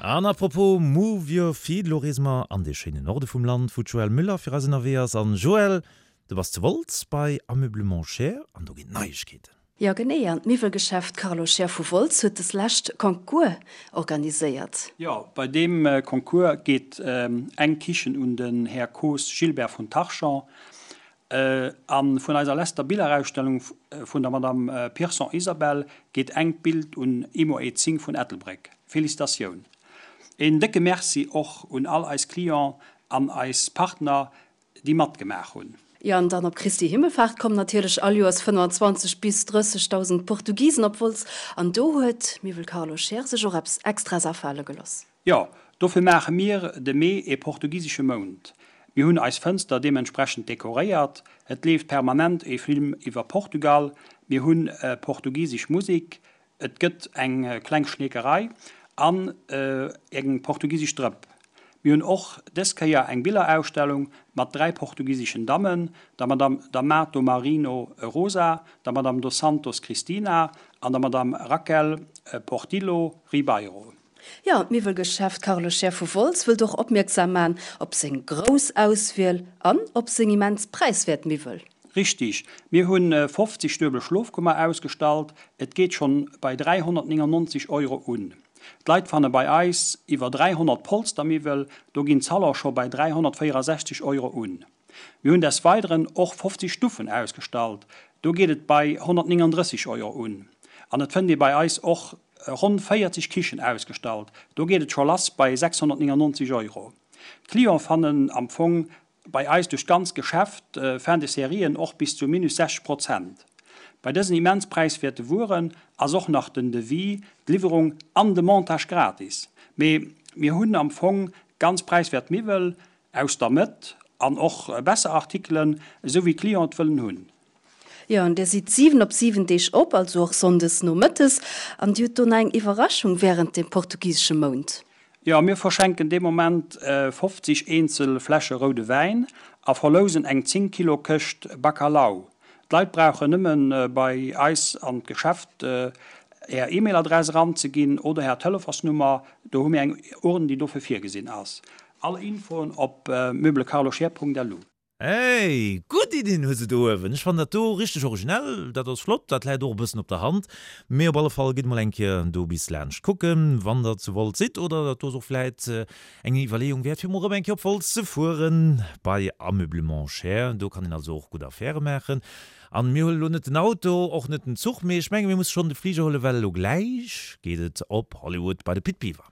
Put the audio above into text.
An apropos Move Your Feet, elo reese mer an dee schéinen Norde vum Land, wou d'Joëlle Müller fir eis ënnerwee ass. An Joëlle, du bass zu Wolz bei Ameublement Scheer an do ginn Neiegkeeten. Jo genee, an d'Miwwelgeschäft Carlo Scheer vu Wolz huet des lescht Concours organiséiert. Jo, bei deem Concours geet eng Kichen un den Här Coos Gilbert vun Tarchamps. A vun eiser lester Billerausstellung vun der Madame Pirson Isabelle geet engt Bild un Imo E 10 vun Ettelbréck. Felicitatioun! Een décke Merci och un all eis Clients an eis Partner déi matgemaach hunn. Jo, an dann op Christi Himmelfahrt kommen natierlech all Joers 25 bis 30.000 Portugisen op Wolz an do huet Miwwel Carlo Scheer sech och eppes Extraes afale geloss. Jo, dofir maache mir de Mee ee portugisesche Mount. Mir hunn eis Fënster deementsprechend dekoréiert, et leeft permanent ee Film iwwer Portugal, mir hunn portugisesch Musek, et gëtt eng kleng Schneekerei an eng portugisesch Drëpp. Mir hunn och dës Kéier eng Billerausstellung mat 3 portugiseschen Dammen, der Madame D'Amato Marino Rosa, der Madame Dos Santos Cristina an der Madame Raquel Portillo Ribeiro. Jo, d'Miwwelgeschäft Carlo Scheer vu Wolz wëllt och opmierksam man op seng grouss Auswiel an op seng immens präiswäert Miwwel. Richtig, mir hunn 50 duebel Schlofkummer ausgestallt, et geet schonn bei 399 Euro un. D'Leit fanne bei eis iwwer 300 Polstermiwwel, do ginn d'Salon scho bei 364 Euro un. Mir hunn des Weideren och 50 Stuffen ausgestallt, do geet et bei 139 Euro un. An et fënnt ee bei eis och ronn 40 Kichen ausgestallt, do geet et scho lass bei 699 Euro. D'Clienten fannen am Fong bei eis duerch d'ganz Geschäft Fin de Serien och bis zu minus 60 Prozent. Bei dësen immens präiswäerte Wueren ass och nach den Devis, d'Liwwerung an de Montage gratis. Mee mir hunn am Fong ganz präiswäert Miwwel, Aus der Mëtt an och besser Artikelen, esou wéi d'Clienten et wëllen hunn. Jo, an Dir sidd 7 op 7 Deeg op, also och sonndes nomëttes. An Dir hutt do nach eng Iwwerraschung wärend dem portugisesche Mount. Jo, mir verschenken dee Moment 50 eenzel Fläsche roude Wäin a verlousen eng 10 Kilo Këscht Bacalhau. D'Leit brauchen nëmmen bei eis an d'Geschäft är E-Mail-Adress eranzeginn oder är Telefonsnummer, do hu mir eng Urn, déi dofir virgesinn ass. All Infoen op meublecarloscheer.lu. Hey, gutt Iddien hues de do uewen. Ech fannen dat do richteg originell, dat ass flott, dat läit och e bëssen op der Hand. Mee op alle Fall gitt mol eng Kéier do bis laanscht kucken, wann der zu Wolz sidd, oder dat do ass och vläit eng Iwwerleeung wäert fir mol erëm eng Kéier op Wolz ze fueren bei Ameublement Scheer. Do kann een also och gutt Affäre maachen. An mir huelen elo net den Auto, och net den Zuch, mee ech menge mir musse schonn de Fliger huelen, well elo gläich geet et op Hollywood bei de Pit Biwer.